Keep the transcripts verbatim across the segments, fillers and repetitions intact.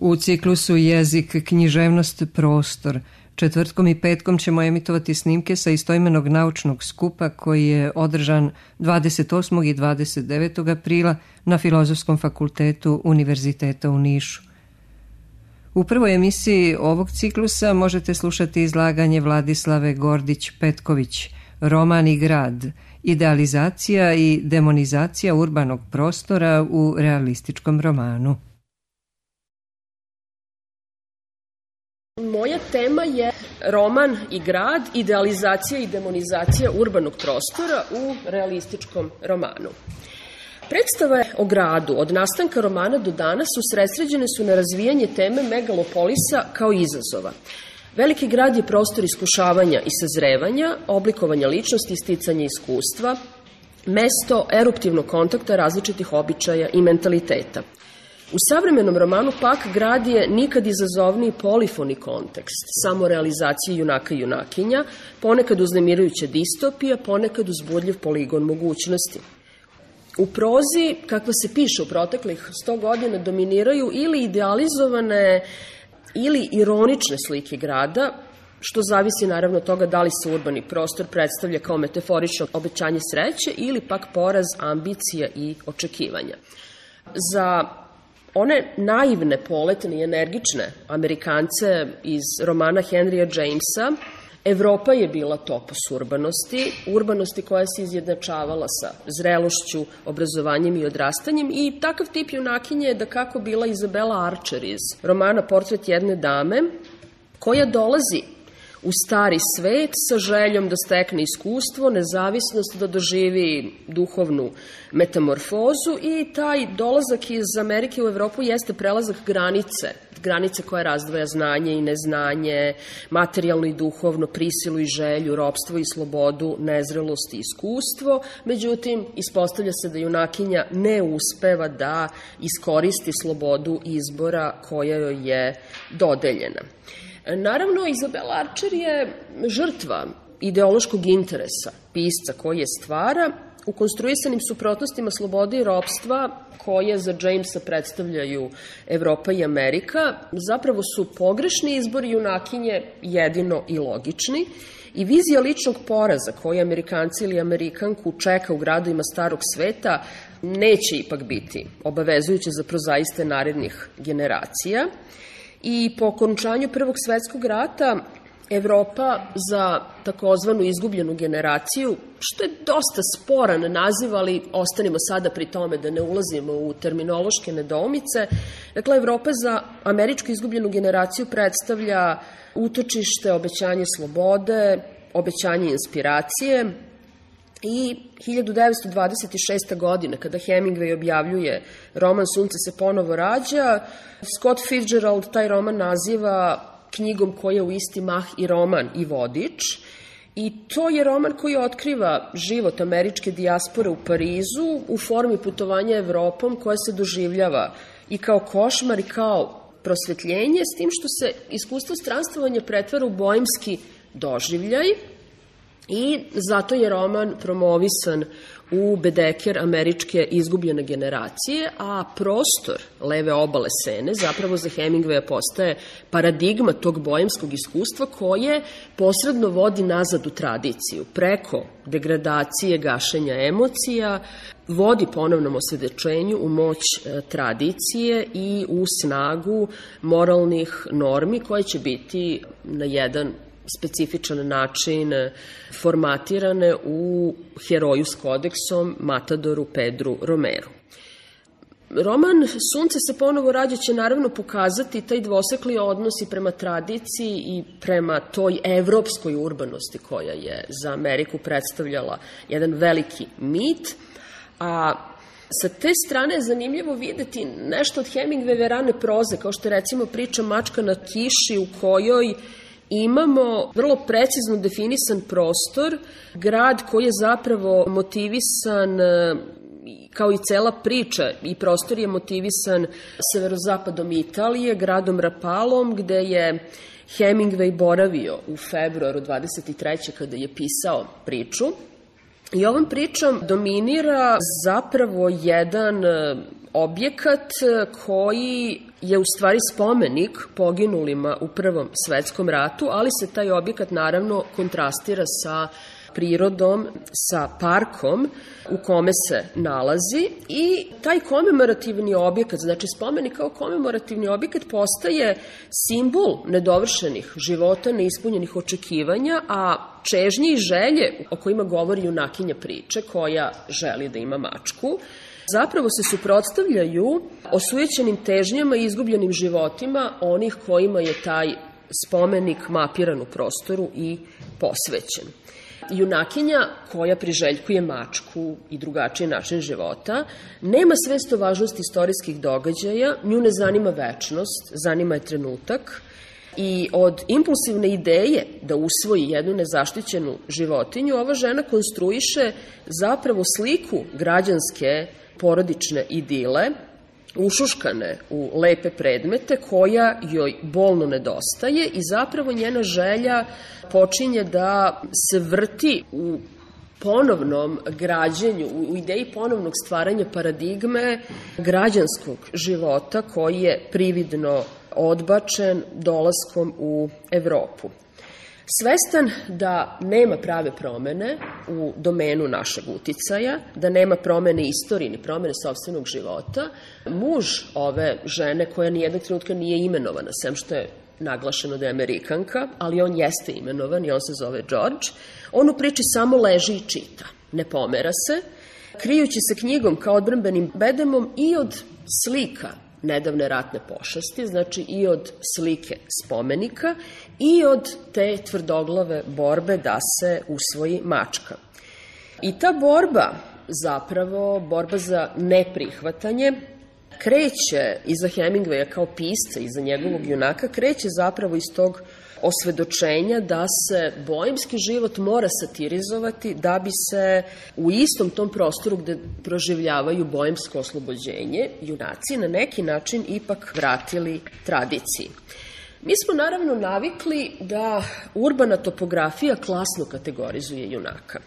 U ciklusu Jezik, književnost, prostor. Četvrtkom i petkom ćemo emitovati snimke sa istoimenog naučnog skupa koji je održan dvadeset osmog i dvadeset devetog aprila na Filozofskom fakultetu Univerziteta u Nišu. U prvoj emisiji ovog ciklusa možete slušati izlaganje Vladislave Gordić-Petković, Roman i grad, idealizacija i demonizacija urbanog prostora u realističkom romanu. Moja tema je roman i grad, idealizacija i demonizacija urbanog prostora u realističkom romanu. Predstave o gradu od nastanka romana do danas usredsređene su na razvijanje teme megalopolisa kao izazova. Veliki grad je prostor iskušavanja i sazrevanja, oblikovanja ličnosti i sticanja iskustva, mesto eruptivnog kontakta različitih običaja i mentaliteta. U savremenom romanu pak grad je nikad izazovniji polifoni kontekst, samorealizacije junaka i junakinja, ponekad uznemirujuća distopija, ponekad uzbudljiv poligon mogućnosti. U prozi, kakva se piše u proteklih sto godina, dominiraju ili idealizovane ili ironične slike grada, što zavisi naravno od toga da li se urbani prostor predstavlja kao metaforično obećanje sreće ili pak poraz ambicija i očekivanja. Za one naivne, poletne i energične Amerikance iz romana Henrya Jamesa, Evropa je bila topos urbanosti, urbanosti koja se izjednačavala sa zrelošću, obrazovanjem i odrastanjem, i takav tip junakinje je da kako bila Izabela Archer iz romana Portret jedne dame, koja dolazi u stari svet sa željom da stekne iskustvo, nezavisnost, da doživi duhovnu metamorfozu, i taj dolazak iz Amerike u Evropu jeste prelazak granice, granice koja razdvaja znanje i neznanje, materijalno i duhovno, prisilu i želju, ropstvo i slobodu, nezrelost i iskustvo. Međutim, ispostavlja se da junakinja ne uspeva da iskoristi slobodu izbora koja joj je dodeljena. Naravno, Izabela Archer je žrtva ideološkog interesa pisca koji je stvara u konstruisanim suprotnostima slobode i ropstva koje za Jamesa predstavljaju Evropa i Amerika. Zapravo su pogrešni izbori junakinje jedino i logični, i vizija ličnog poraza koje Amerikanci ili Amerikanku čeka u gradovima starog sveta neće ipak biti obavezujuće za prozaiste narednih generacija. I po okončanju Prvog svetskog rata Evropa za takozvanu izgubljenu generaciju, što je dosta sporan naziv, ali ostanimo sada pri tome da ne ulazimo u terminološke nedoumice. Dakle, Evropa za američku izgubljenu generaciju predstavlja utočište, obećanje slobode, obećanje inspiracije. I hiljadu devetsto dvadeset šeste. godine, kada Hemingway objavljuje roman Sunce se ponovo rađa, Scott Fitzgerald taj roman naziva knjigom koja je u isti mah i roman i vodič, i to je roman koji otkriva život američke dijaspore u Parizu u formi putovanja Evropom koja se doživljava i kao košmar i kao prosvetljenje, s tim što se iskustvo stranstvovanja pretvara u boemski doživljaj. I zato je roman promovisan u bedeker američke izgubljene generacije, a prostor leve obale Sene zapravo za Hemingwaya postaje paradigma tog boemskog iskustva koje posredno vodi nazad u tradiciju, preko degradacije, gašenja emocija, vodi ponovnom osvedočenju u moć tradicije i u snagu moralnih normi koje će biti na jedan specifičan način formatirane u heroju s kodeksom Matadoru Pedru Romeru. Roman Sunce se ponovo rađa će naravno pokazati taj dvosekli odnos i prema tradiciji i prema toj evropskoj urbanosti koja je za Ameriku predstavljala jedan veliki mit, a sa te strane je zanimljivo videti nešto od Hemingwayove rane proze, kao što je recimo priča Mačka na kiši, u kojoj imamo vrlo precizno definisan prostor, grad koji je zapravo motivisan, kao i cela priča, i prostor je motivisan severozapadom Italije, gradom Rapalom, gde je Hemingway boravio u februaru dvadeset treće. kada je pisao priču. I ovom pričom dominira zapravo jedan objekat koji je u stvari spomenik poginulima u Prvom svetskom ratu, ali se taj objekat naravno kontrastira sa prirodom, sa parkom u kome se nalazi i taj komemorativni objekat, znači spomenik kao komemorativni objekat postaje simbol nedovršenih života, neispunjenih očekivanja, a čežnje i želje o kojima govori junakinja priče koja želi da ima mačku, zapravo se suprotstavljaju osujećenim težnjama i izgubljenim životima onih kojima je taj spomenik mapiran u prostoru i posvećen. Junakinja koja priželjkuje mačku i drugačiji način života nema svest o važnosti istorijskih događaja, nju ne zanima večnost, zanima je trenutak i od impulsivne ideje da usvoji jednu nezaštićenu životinju, ova žena konstruiše zapravo sliku građanske porodične idile, ušuškane u lepe predmete koja joj bolno nedostaje i zapravo njena želja počinje da se vrti u ponovnom građenju, u ideji ponovnog stvaranja paradigme građanskog života koji je prividno odbačen dolaskom u Evropu. Svestan da nema prave promene u domenu našeg uticaja, da nema promene istorije ni promene sopstvenog života, muž ove žene koja nijednog trenutka nije imenovana, sem što je naglašeno da je Amerikanka, ali on jeste imenovan i on se zove George, on u priči samo leži i čita, ne pomera se, krijući se knjigom kao odbrambenim bedemom i od slika nedavne ratne pošasti, znači i od slike spomenika i od te tvrdoglave borbe da se usvoji mačka. I ta borba, zapravo borba za neprihvatanje, kreće iza Hemingwaya kao pisca, iza njegovog junaka, kreće zapravo iz tog osvedočenja da se boemski život mora satirizovati da bi se u istom tom prostoru gde proživljavaju boemsko oslobođenje junaci na neki način ipak vratili tradiciji. Mi smo naravno navikli da urbana topografija klasno kategorizuje junaka.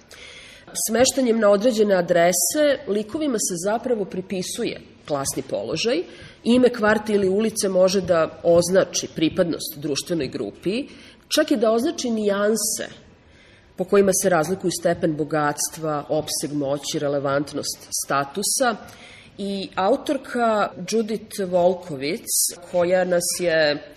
Smeštanjem na određene adrese likovima se zapravo pripisuje klasni položaj. Ime kvarta ili ulice može da označi pripadnost društvenoj grupi, čak i da označi nijanse po kojima se razlikuju stepen bogatstva, opseg moći, relevantnost statusa. I autorka Judith Volkovitz, koja nas je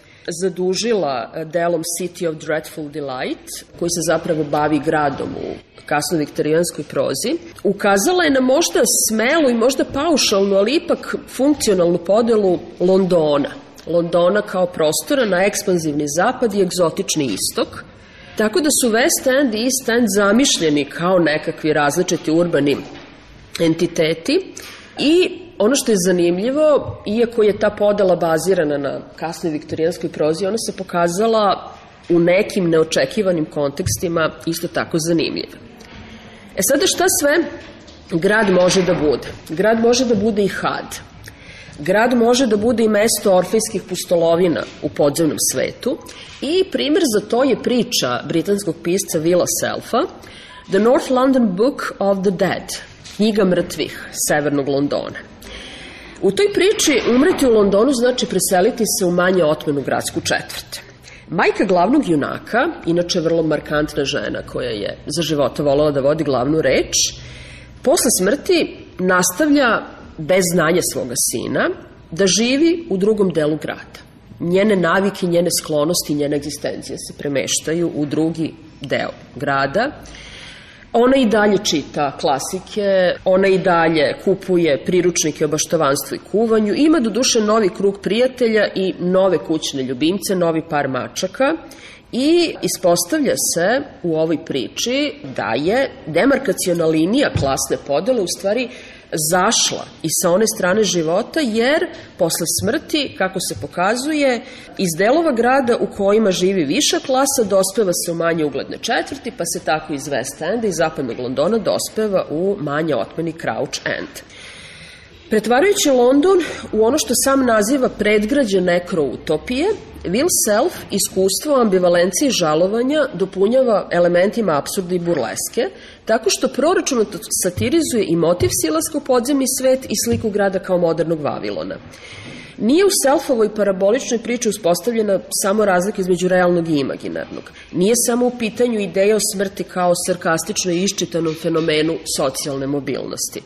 zadužila delom City of Dreadful Delight, koji se zapravo bavi gradom u kasno viktorijanskoj prozi, ukazala je na možda smelu i možda paušalnu, ali ipak funkcionalnu podelu Londona. Londona kao prostora na ekspanzivni zapad i egzotični istok, tako da su West End i East End zamišljeni kao nekakvi različiti urbani entiteti i ono što je zanimljivo, iako je ta podela bazirana na kasnoj viktorijanskoj prozi, ona se pokazala u nekim neočekivanim kontekstima isto tako zanimljiva. E sada šta sve grad može da bude? Grad može da bude i had. Grad može da bude i mesto orfejskih pustolovina u podzemnom svetu i primer za to je priča britanskog pisca Willa Selfa, The North London Book of the Dead, knjiga mrtvih severnog Londona. U toj priči umreti u Londonu znači preseliti se u manje otmenu gradsku četvrt. Majka glavnog junaka, inače vrlo markantna žena koja je za života volela da vodi glavnu reč, posle smrti nastavlja bez znanja svoga sina da živi u drugom delu grada. Njene navike, njene sklonosti, njene egzistencije se premeštaju u drugi deo grada. Ona i dalje čita klasike, ona i dalje kupuje priručnike o baštovanstvu i kuvanju, ima do duše novi krug prijatelja i nove kućne ljubimce, novi par mačaka i ispostavlja se u ovoj priči da je demarkaciona linija klasne podele u stvari zašla i sa one strane života, jer posle smrti, kako se pokazuje, iz delova grada u kojima živi viša klasa dospeva se u manje ugledne četvrti, pa se tako iz West Enda i zapadnog Londona dospeva u manje otmeni Crouch End. Pretvarajući London u ono što sam naziva predgrađe nekroutopije, Will Self iskustvo ambivalencije i žalovanja dopunjava elementima apsurda i burleske, tako što proračunato satirizuje i motiv silaska u podzemni svet i sliku grada kao modernog Vavilona. Nije u Selfovoj paraboličnoj priči uspostavljena samo razlika između realnog i imaginarnog. Nije samo u pitanju ideja o smrti kao sarkastično i iščitanom fenomenu socijalne mobilnosti.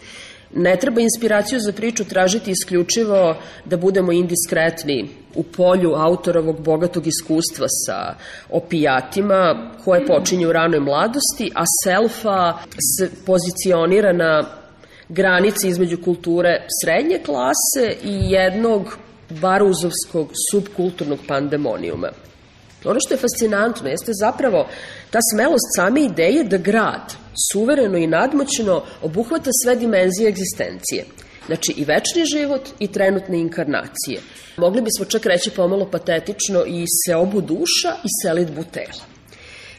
Ne treba inspiraciju za priču tražiti isključivo da budemo indiskretni u polju autorovog bogatog iskustva sa opijatima koje počinju u ranoj mladosti, a Selfa se pozicionira na granici između kulture srednje klase i jednog baruzovskog subkulturnog pandemonijuma. Ono što je fascinantno jeste zapravo ta smelost same ideje da grad suvereno i nadmoćno obuhvata sve dimenzije egzistencije. Znači i večni život i trenutne inkarnacije. Mogli bismo čak reći pomalo patetično i seobu duša i selidbu tela.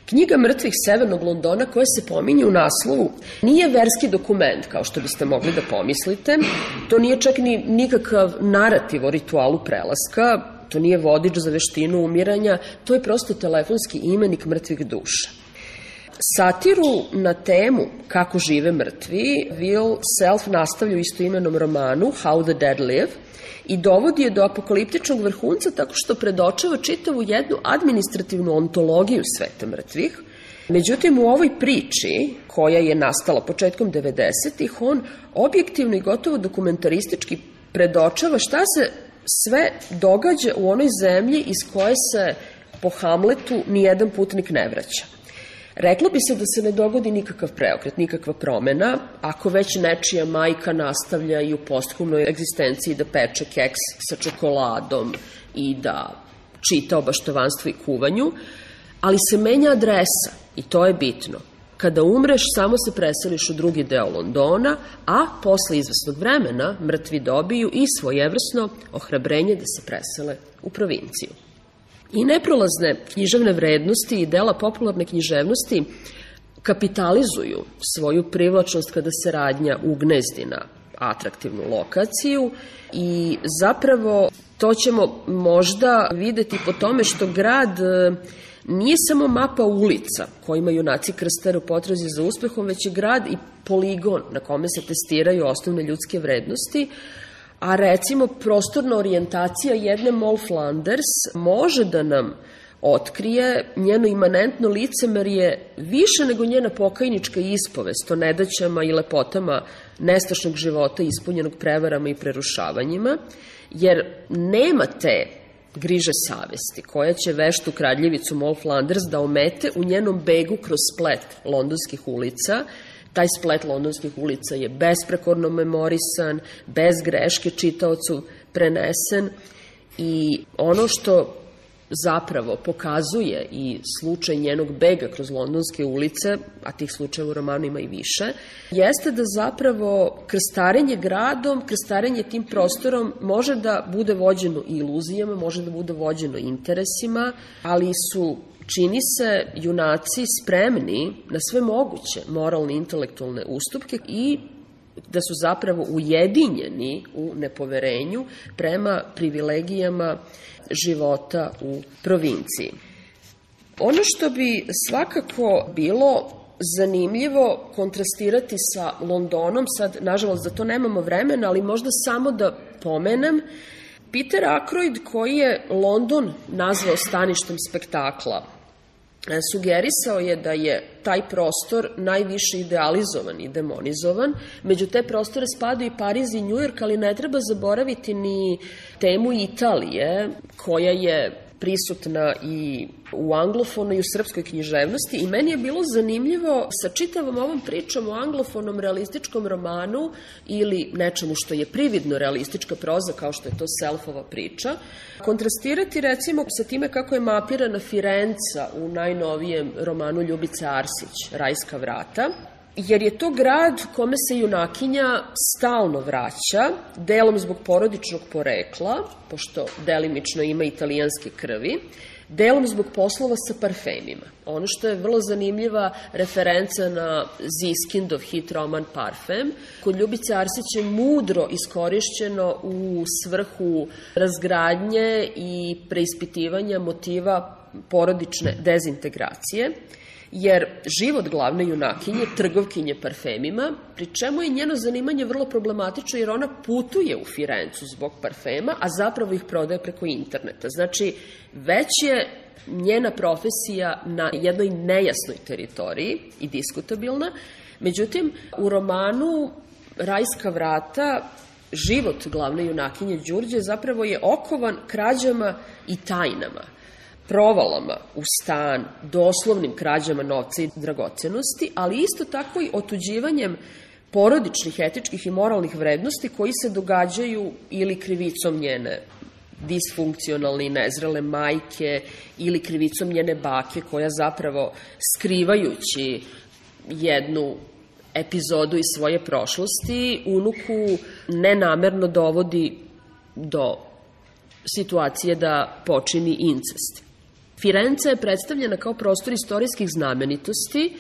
Knjiga mrtvih Severnog Londona koja se pominje u naslovu nije verski dokument, kao što biste mogli da pomislite. To nije čak ni nikakav narativ o ritualu prelaska, to nije vodič za veštinu umiranja, to je prosto telefonski imenik mrtvih duša. Satiru na temu kako žive mrtvi Will Self nastavlja u istoimenom romanu How the Dead Live i dovodi je do apokaliptičnog vrhunca tako što predočava čitavu jednu administrativnu ontologiju sveta mrtvih. Međutim, u ovoj priči, koja je nastala početkom devedesetih, on objektivno i gotovo dokumentaristički predočava šta se sve događa u onoj zemlji iz koje se po Hamletu nijedan putnik ne vraća. Reklo bi se da se ne dogodi nikakav preokret, nikakva promena, ako već nečija majka nastavlja i u posthumnoj egzistenciji da peče keks sa čokoladom i da čita o baštovanstvu i kuvanju, ali se menja adresa i to je bitno. Kada umreš, samo se preseliš u drugi deo Londona, a posle izvesnog vremena mrtvi dobiju i svojevrsno ohrabrenje da se presele u provinciju. I neprolazne književne vrednosti i dela popularne književnosti kapitalizuju svoju privlačnost kada se radnja ugnezdi na atraktivnu lokaciju i zapravo to ćemo možda videti po tome što grad nije samo mapa ulica kojima junaci krstare u potrazi za uspehom, već je grad i poligon na kome se testiraju osnovne ljudske vrednosti, a recimo prostorna orijentacija jedne Moll Flanders može da nam otkrije njeno imanentno licemerje više nego njena pokajnička ispovest o nedaćama i lepotama nestašnog života ispunjenog prevarama i prerušavanjima, jer nema te griže savesti koja će veštu kradljivicu Moll Flanders da omete u njenom begu kroz splet londonskih ulica. Taj splet londonskih ulica je besprekorno memorisan, bez greške čitaocu prenesen i ono što zapravo pokazuje i slučaj njenog bega kroz londonske ulice, a tih slučajeva u romanu ima i više, jeste da zapravo krstarenje gradom, krstarenje tim prostorom može da bude vođeno iluzijama, može da bude vođeno interesima, ali su, čini se, junaci spremni na sve moguće moralne i intelektualne ustupke i da su zapravo ujedinjeni u nepoverenju prema privilegijama života u provinciji. Ono što bi svakako bilo zanimljivo kontrastirati sa Londonom, sad nažalost za to nemamo vremena, ali možda samo da pomenem, Peter Ackroyd, koji je London nazvao staništem spektakla, sugerisao je da je taj prostor najviše idealizovan i demonizovan. Među te prostore spadaju i Pariz i Njujork, ali ne treba zaboraviti ni temu Italije, koja je prisutna i u anglofonoj i u srpskoj književnosti i meni je bilo zanimljivo sa čitavom ovom pričom o anglofonom realističkom romanu ili nečemu što je prividno realistička proza kao što je to Selfova priča, kontrastirati recimo sa time kako je mapirana Firenca u najnovijem romanu Ljubice Arsić, Rajska vrata, jer je to grad kome se junakinja stalno vraća, delom zbog porodičnog porekla, pošto delimično ima italijanske krvi, delom zbog poslova sa parfemima. Ono što je vrlo zanimljiva referenca na Ziskindov hit roman Parfem, kod Ljubice Arsić je mudro iskorišćeno u svrhu razgradnje i preispitivanja motiva porodične dezintegracije, jer život glavne junakinje, trgovkinje parfemima, pri čemu je njeno zanimanje vrlo problematično jer ona putuje u Firencu zbog parfema, a zapravo ih prodaje preko interneta. Znači, već je njena profesija na jednoj nejasnoj teritoriji i diskutabilna. Međutim, u romanu Rajska vrata život glavne junakinje Đurđe zapravo je okovan krađama i tajnama, provalama u stan, doslovnim krađama novca i dragocenosti, ali isto tako i otuđivanjem porodičnih, etičkih i moralnih vrednosti koji se događaju ili krivicom njene disfunkcionalne i nezrele majke ili krivicom njene bake koja zapravo skrivajući jednu epizodu iz svoje prošlosti unuku nenamerno dovodi do situacije da počini incest. Firenca je predstavljena kao prostor istorijskih znamenitosti.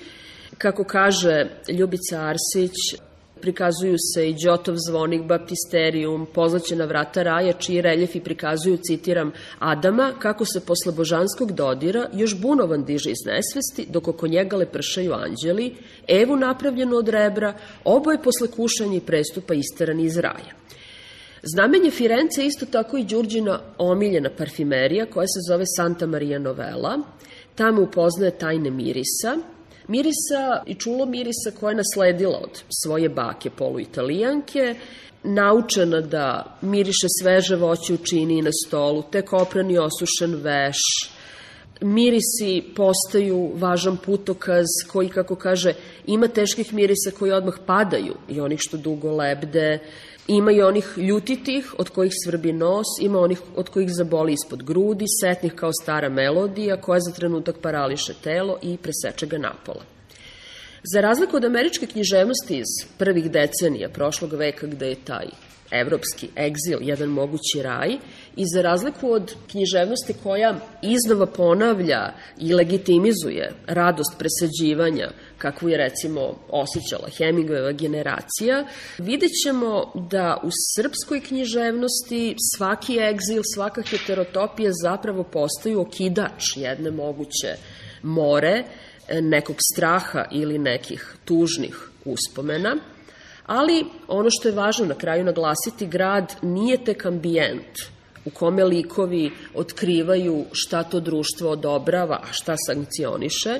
Kako kaže Ljubica Arsić, prikazuju se i Đotov zvonik, baptisterijum, pozlaćena vrata raja, čiji reljefi prikazuju, citiram, Adama, kako se posle božanskog dodira još bunovan diže iz nesvesti, dok oko njega lepršaju anđeli, Evu napravljenu od rebra, oboje posle kušanja i prestupa isterani iz raja. Znamenje Firence je isto tako i Đurđina omiljena parfimerija koja se zove Santa Maria Novella. Tamo upoznaje tajne mirisa, mirisa i čulo mirisa koje je nasledila od svoje bake poluitalijanke, naučena da miriše sveže voće u čini na stolu, tek opran i osušen veš. Mirisi postaju važan putokaz koji, kako kaže, ima teških mirisa koji odmah padaju i onih što dugo lebde. Ima i onih ljutitih od kojih svrbi nos, ima onih od kojih zaboli ispod grudi, setnih kao stara melodija koja za trenutak parališe telo i preseče ga napola. Za razliku od američke književnosti iz prvih decenija prošlog veka gde je taj evropski egzil jedan mogući raj i za razliku od književnosti koja iznova ponavlja i legitimizuje radost presađivanja kakvu je recimo osjećala Hemingwayova generacija, vidjet ćemo da u srpskoj književnosti svaki egzil, svaka heterotopija zapravo postaju okidač jedne moguće more, nekog straha ili nekih tužnih uspomena. Ali ono što je važno na kraju naglasiti, grad nije tek ambijent u kome likovi otkrivaju šta to društvo odobrava, a šta sankcioniše.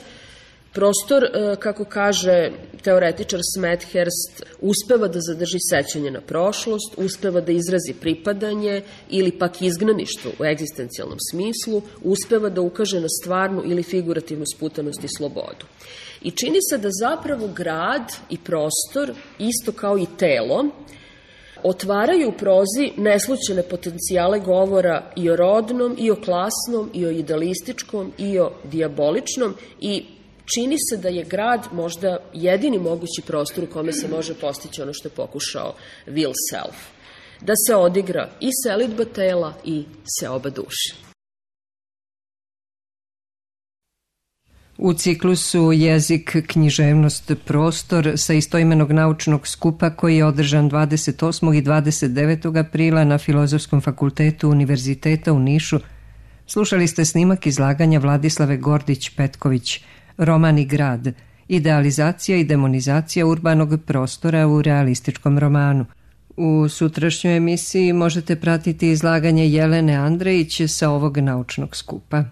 Prostor, kako kaže teoretičar Smethurst, uspeva da zadrži sećanje na prošlost, uspeva da izrazi pripadanje ili pak izgnaništvo u egzistencijalnom smislu, uspeva da ukaže na stvarnu ili figurativnu sputanost i slobodu. I čini se da zapravo grad i prostor, isto kao i telo, otvaraju u prozi neslućene potencijale govora i o rodnom, i o klasnom, i o idealističkom, i o dijaboličnom i čini se da je grad možda jedini mogući prostor u kome se može postići ono što je pokušao Will Self. Da se odigra i selidba tela i seoba duše. U ciklusu Jezik, književnost, prostor sa istoimenog naučnog skupa koji je održan dvadeset osmog i dvadeset devetog aprila na Filozofskom fakultetu Univerziteta u Nišu, slušali ste snimak izlaganja Vladislave Gordić-Petković, Roman i grad, idealizacija i demonizacija urbanog prostora u realističkom romanu. U sutrašnjoj emisiji možete pratiti izlaganje Jelene Andrejić sa ovog naučnog skupa.